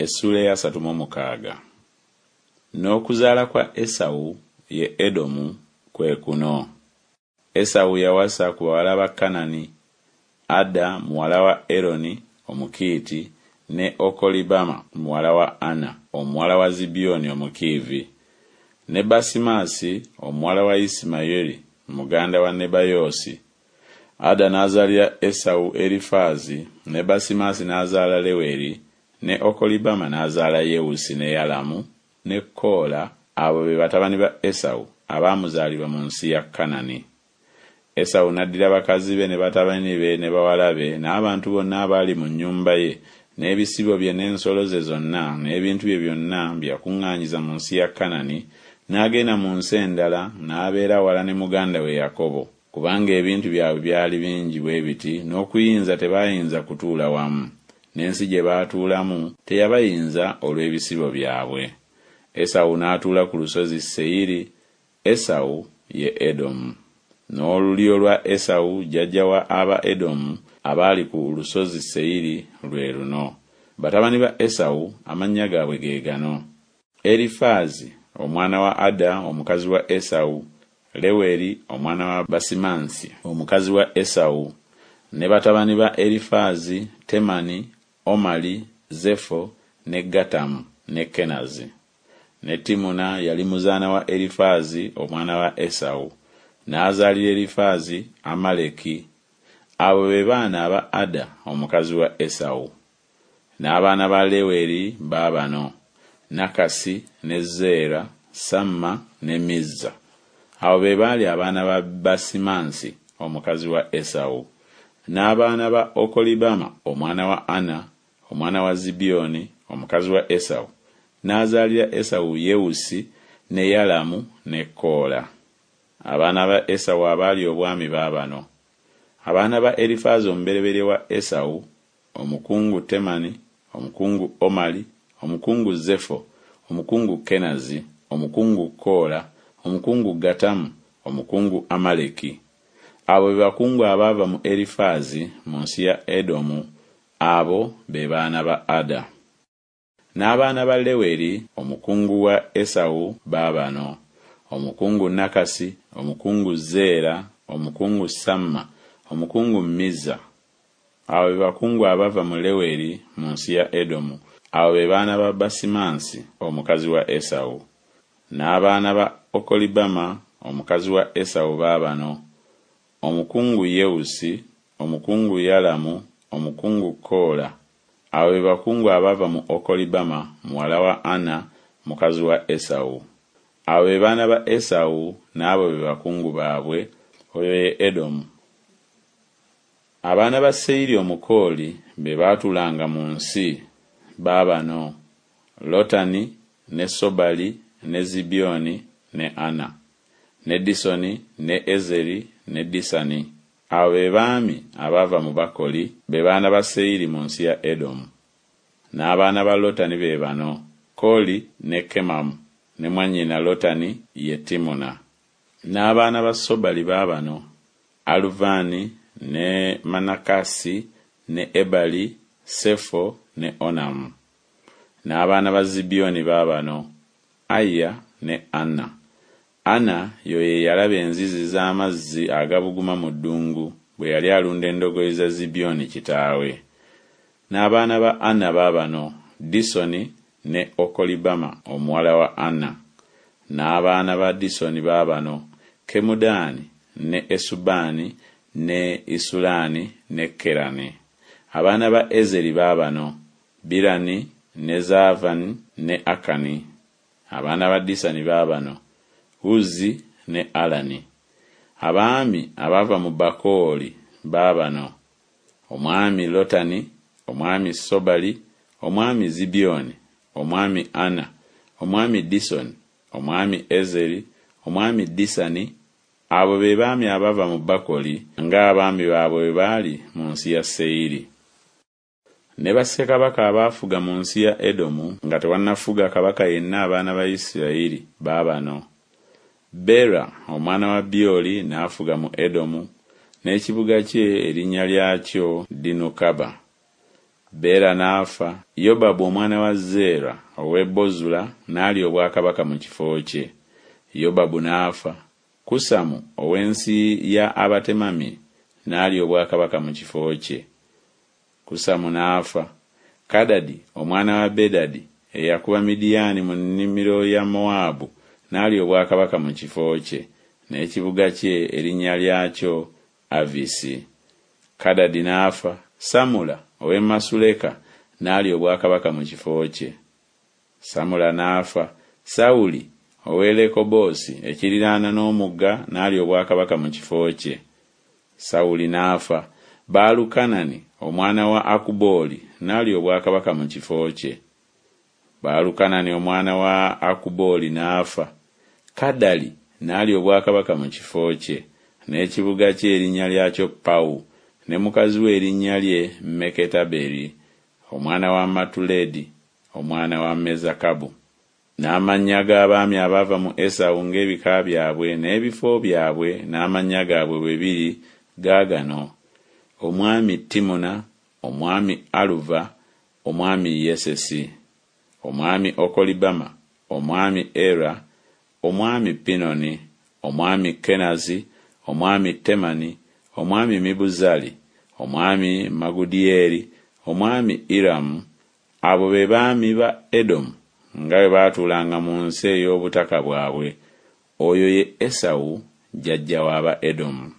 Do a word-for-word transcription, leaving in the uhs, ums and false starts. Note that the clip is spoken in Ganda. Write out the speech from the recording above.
Essuula ey'asatu mu mukaaga. N'okuzaala kwa Esawu, ye Edomu, kwe kuno. Esawu yawasa ku bawala ba Kanani, Ada muwala wa Eroni Omukiiti, ne Okolibama muwala wa Ana omuwala wa Zibyoni Omukiivi, ne Basimaasi omuwala wa Isimayiri muganda wa Nebayoosi. Ada n'azaalira Esawu Erifaazi, ne Basimaasi n'azaala Leweri, ne Okolibama n'azaala Yewusi ne Yalamu ne Koola, abo be batabani ba Esawu abaamuzaalirwa mu nsi ya Kanani. Esawu n'addira bakazi be ne batabani be ne bawala be n'abantu bonna abaali mu nnyumba ye n'ebisibo bye n'ensolo ze zonna n'ebintu bye byonna bye yakuŋŋaanyiza mu nsi ya Kanani, n'agenda mu nsi endala n'abeera wala ne muganda we Yakobo, kubanga ebintu byabwe byali bingi bwe biti n'okuyinza tebaayinza kutuula wamu, n'ensi gye baatuulamu teyabayinza olw'ebisibo byabwe. Esawu n'atuula ku lusozi Seyiri, Esawu ye Edomu. N'olulyo lwa Esawu jjajja wa Abaedomu abaali ku lusozi Seyiri lwe luno. Batabani ba Esawu amannya gaabwe ge gano: Erifaazi omwana wa Ada omukazi wa Esawu, Leweri omwana wa Basimansi omukazi wa Esawu, ne batabani ba Erifaazi Temani, Omali, Zefo ne Gatamu ne Kenazi. Ne Timuna yali muzaana wa Erifaazi omwana wa Esawu, n'azaalira Erifaazi Amaleki. Abo be baana aba Ada omukazi wa Esawu. N'abaana ba Leweri baabano: Nakasi ne Zeera, Samma ne Mizza. Abo be baali abaana ba Basimansi omukazi wa Esawu. N'abaana ba Okolibama omwana wa Ana omwana wa Zibyoni omukazi wa Esawu, n'azaalira Esawu Yewusi ne Yalamu ne Koola. Abaana ba Esawu abaali obwami baabano: abaana ba Erifaazi omubereberye wa Esawu, omukungu Temani, omukungu Omali, omukungu Zefo, omukungu Kenazi, omukungu Koola, omukungu Gatamu, omukungu Amaleki. Abo be bakungu abaava mu Erifaazi mu nsi ya Edomu, abo be baana ba Ada. N'abaana ba Leweri omukungu wa Esawu baabano: omukungu Nakasi, omukungu Zeera, omukungu Samma, omukungu Mizza. Abo be bakungu abava mu Leweri mu nsi ya Edomu, abo be baana ba Basimansi omukazi wa Esawu. N'abaana ba Okolibama omukazi wa Esawu baabano: omukungu Yewusi, omukungu Yalamu, omukungu Koola. Abo be bakungu abava mu Okolibama muwala wa Ana mukazi wa Esawu. Abo be baana ba Esawu, n'abo be bakungu baabwe, oyo ye Edomu. Abaana ba Seyiri Omukooli be baatuulanga mu nsi baabano: Lotani ne Sobali ne Zibyoni ne Ana, ne Disoni ne Ezeri ne Disani. Abo be baami abaava mu Bakoli, be baana ba Seyiri mu nsi ya Edomu. N'abaana ba Lotani be bano: Koli ne Kemamu, ne mwannyina Lotani ye Timuna. N'abaana ba Sobali baabano: Aluvani ne Manakasi ne Ebali, Sefo ne Onamu. N'abaana ba Zibyoni baabano: Aya ne Ana. Ana y'oyo eyalaba enzizi z'amazzi agabuguma mu ddungu bwe yali alunda endogoyi za Zibyoni kitaawe. N'abaana ba Ana baabano: Disoni ne Okolibama omuwala wa Ana. N'abaana ba Disoni baabano: Kemudaani ne Esubaani ne Isulaani ne Kerani. Abaana ba Ezeri baabano: Birani ne Zaavani ne Akani. Abaana ba Disani baabano: Uzi ne Alani. Abaami abaava mu Bakooli baabano: omwami Lotani, omwami Sobali, omwami Zibyoni, omwami Ana, omwami Disoni, omwami Ezeri, omwami Disani. Abo be baami abava mu Bakoli, ng'abaami baabwe bwe baali mu nsi ya Seyiri. Ne bassekabaka abaafuga mu nsi ya Edomu nga tewannafuga kabaka yenna abaana ba Isirayiri baabano: Bera omwana wa Byoli n'afuga mu Edomu, n'ekibuga kye erinnya lyakyo Dinukaba. Bera n'afa, Yobabu omwana wa Zeera ow'e Bozula n'alya obwakabaka mu kifo kye. Yobabu n'afa, Kusamu ow'ensi ya Abatemami n'alya obwakabaka mu kifo kye. Kusamu n'afa, Kadadi omwana wa Bedadi eyakuba Midiyaani mu nnimiro ya Mowaabu n'alya obwakabaka mu kifo kye, n'ekibuga kye erinnya lyakyo Avisi. Kadadi n'afa, Samula ow'e Masuleka n'alya obwakabaka mu kifo kye. Samula n'afa, Sawuli ow'e Lekoboosi ekiriraana n'omugga n'alya obwakabaka mu kifo kye. Sawuli n'afa, Baalukanani omwana wa Akubooli n'alya obwakabaka mu kifo kye. Baalukanani omwana wa Akubooli n'afa, Kadali n'alya obwakabaka mu kifo kye, n'ekibuga kye erinnya lyakyo Pawu, ne mukazi we erinnya lye Meketaberi, omwana wa Matuledi, omwana wa Mezakabu. N'amannya g'abaami abaava mu Esawu ng'ebika byabwe n'ebifo byabwe n'amannya gaabwe bwe biri gaagano: omwami Timuna, omwami Aluva, omwami Yesesi, omwami Okolibama, omwami Era, omwami Pinoni, omwami Kenazi, omwami Temani, omwami Mibuzali, omwami Magudyeri, omwami Iramu. Abo be baami ba Edomu nga bwe baatuulanga mu nsi ey'obutaka bwabwe. Oyo ye Esawu jjajja w'aba Edomu.